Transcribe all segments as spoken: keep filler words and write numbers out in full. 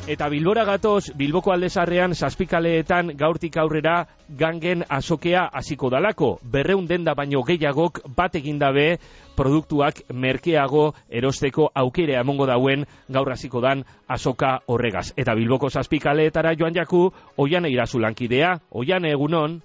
Eta Bilbora gatoz, Bilboko aldezarrean zazpikaleetan gaurtik aurrera gangen azokea hasiko dalako. Berreun denda baino gehiagok bat egindabe produktuak merkeago erosteko aukera emongo dauen gaur hasiko dan azoka horregaz. Eta Bilboko zazpikaleetara joan jaku, Oiane Irazu lankidea. Oiane, egunon?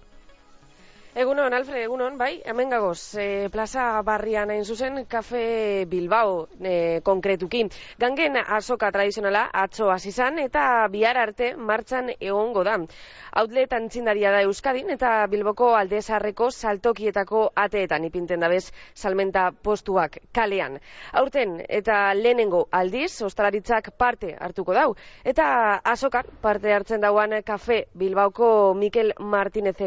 Egunon, Alfred, egunon, bai, hemen gagoz, e, plaza barrian hain zuzen, Kafe Bilbao e, konkretuki. Gangen azoka tradizionala atzo hasi izan eta bihar arte martxan egongo da. Outlet antzindaria da Euskadin eta Bilboko aldezarreko saltokietako ateetan ipinten dabez salmenta postuak kalean. Aurten eta lehenengo aldiz, ostalaritzak parte hartuko dau. Eta azokan parte hartzen dauan Kafe Bilbaoko Mikel Martinez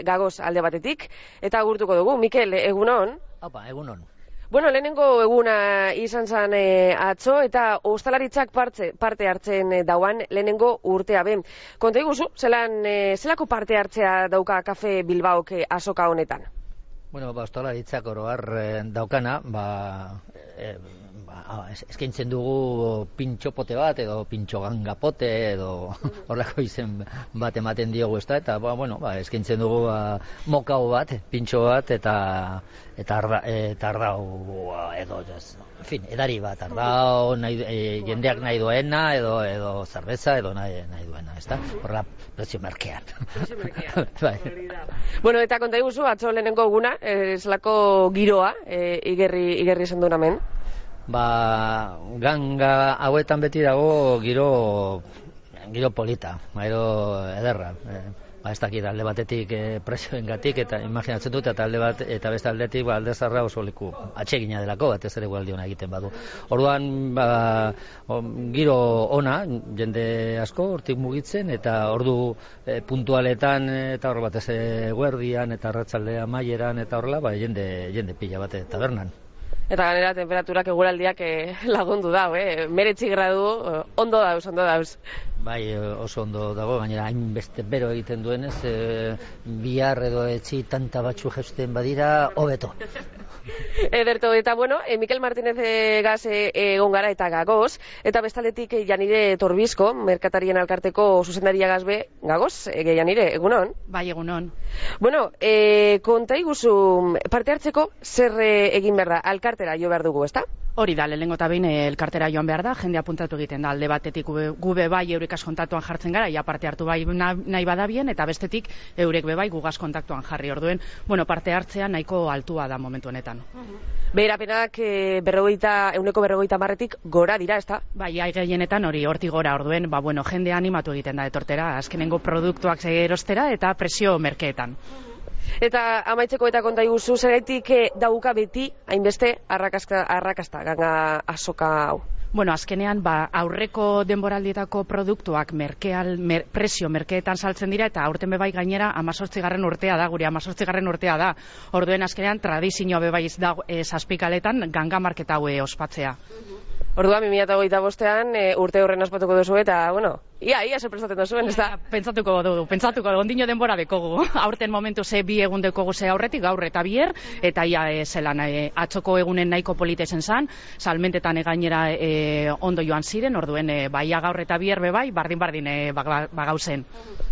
gagoz alde batetik, eta agurtuko dugu. Mikel, egunon? Opa, egunon. Bueno, lehenengo eguna izan zen e, atzo, eta ostalaritzak parte, parte hartzen e, dauan lehenengo urtea ben. Konta iguzu, zelan, e, zelako parte hartzea dauka Kafe Bilbaok e, azoka honetan? Bueno, ba, ostalaritzak oroar e, daukana, ba, e, ba, eskaintzen dugu pintxopote bat, edo pintxogangapote, edo horreko izen bat ematen diogu, ez da, eta, ba, bueno, ba, eskaintzen dugu ba, mokau bat, pintxo bat, eta eta arda, eta ardau edo, ez, en fin, edari bat, ardau nahi, e, jendeak nahi duena, edo, edo zerbeza, edo nahi, nahi duena, ez da, horrela, prezio merkean. Prezio merkean, bai. Bueno, eta konta iguzu, atzo lehenengo eguna, e, zelako giroa, e, igerri, igerri esan duen hemen? Ba, ganga hauetan beti dago giro giro polita, giro ederra. E, ba, ez dakit alde batetik e, presioengatik eta imaginatzen dut eta alde bat eta beste aldetik ba aldezarra oso leku atsegina delako batez ere gualdi ona egiten badu. Orduan ba, o, giro ona jende asko hortik mugitzen eta ordu e, puntualetan eta hor batez eguerdian eta arratsaldea amaieran eta horrela ba jende jende pila bate tabernan. Eta ganera temperaturak eguraldiak eh, lagundu dau, eh? meretzi gradu, eh, ondo dauz, ondo dauz. Bai, oso ondo dago, gainera hainbeste bero egiten duenez, e, bihar edo etzi tanta batzu jeusten badira, hobeto. Ederto, eta bueno, eh, Mikel Martinez gaz egon gara eta gagoz, eta bestaldetik eh, Janire Torbizko, merkatarien alkarteko zuzendaria gazbe, gagoz, eh, Janire, egunon? Bai, egunon. Bueno, eh, konta iguzu, parte hartzeko zer eh, egin behar da, alkartera jo behar dugu, ezta? Hori da, lehenengo eta behin elkartera joan behar da, jende apuntatu egiten da, alde batetik gube, gube bai eurikaz kontaktuan jartzen gara, ja parte hartu bai nahi badabien, eta bestetik eurek be bai gugaz kontaktuan jarri orduen, bueno, parte hartzea nahiko altua da momentu honetan. Beherapenak e, berrogeita, euneko berrogeita marretik gora dira, ezta? Bai, ai gehienetan hori horti gora orduen, ba, bueno, jende animatu egiten da etortera, azkenengo produktuak erostera eta presio merkeetan. Eta amaitzeko eta konta iguzu, zeraitik dauka beti hainbeste arrakasta, arrakasta ganga azoka hau? Bueno, azkenean, ba, aurreko denboraldietako produktuak merkeal, mer, presio merkeetan saltzen dira, eta aurten bebai gainera amazortzigarren urtea da, gure amazortzigarren urtea da. Orduen azkenean, tradizioa bebaiz da e, zazpikaletan ganga marketa haue ospatzea. Orduan, bi mila hogeita bostean e, urte horren ospatuko duzu eta, bueno, ia, ia sorpresatzen duzuen, ez da? Pentsatuko dugu, pentsatuko dugu, ondino denbora dekogu. Aurten momentu ze bi egun dekogu ze aurretik, gaur eta bier, eta ia e, zelan e, atzoko egunen nahiko polita zen zan, salmentetan e, gainera e, ondo joan ziren, orduen e, baia gaur eta bier bebai, bardin-bardin e, bagauzen.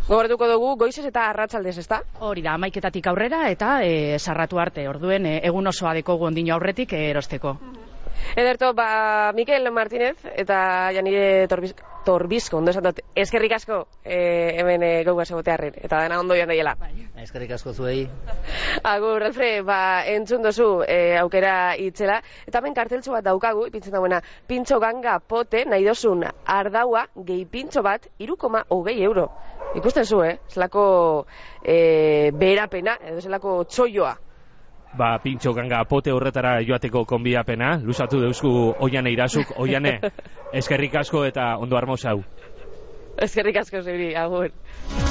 Gogoratuko dugu, goizez eta arratsaldez, ez da? Hori da, amaiketatik aurrera eta e, sarratu arte, orduen e, egun osoa dekogu ondino aurretik e, erosteko. Ederto, ba, Mikel Martinez eta Janire Torbizko, Torbizko ondo esan dut, eskerrik asko e, hemen e, gauga segotearren, eta dena ondo joan daiela. Eskerrik asko zuei. Agur, Alfred, ba, entzun dozu e, aukera itzela, eta hemen karteltxo bat daukagu, ipintzen dagoena, pintxo ganga pote, nahi dozun ardaua, gehi pintxo bat, iru koma hogei euro. Ikusten zu, eh? Zelako e, beherapena, edo zelako txoioa. Ba, pintxo ganga pote horretara joateko konbidapena, luzatu deuzku Oiane Irazuk. Oiane, eskerrik asko eta ondo armozau. Eskerrik asko zeuri, agur.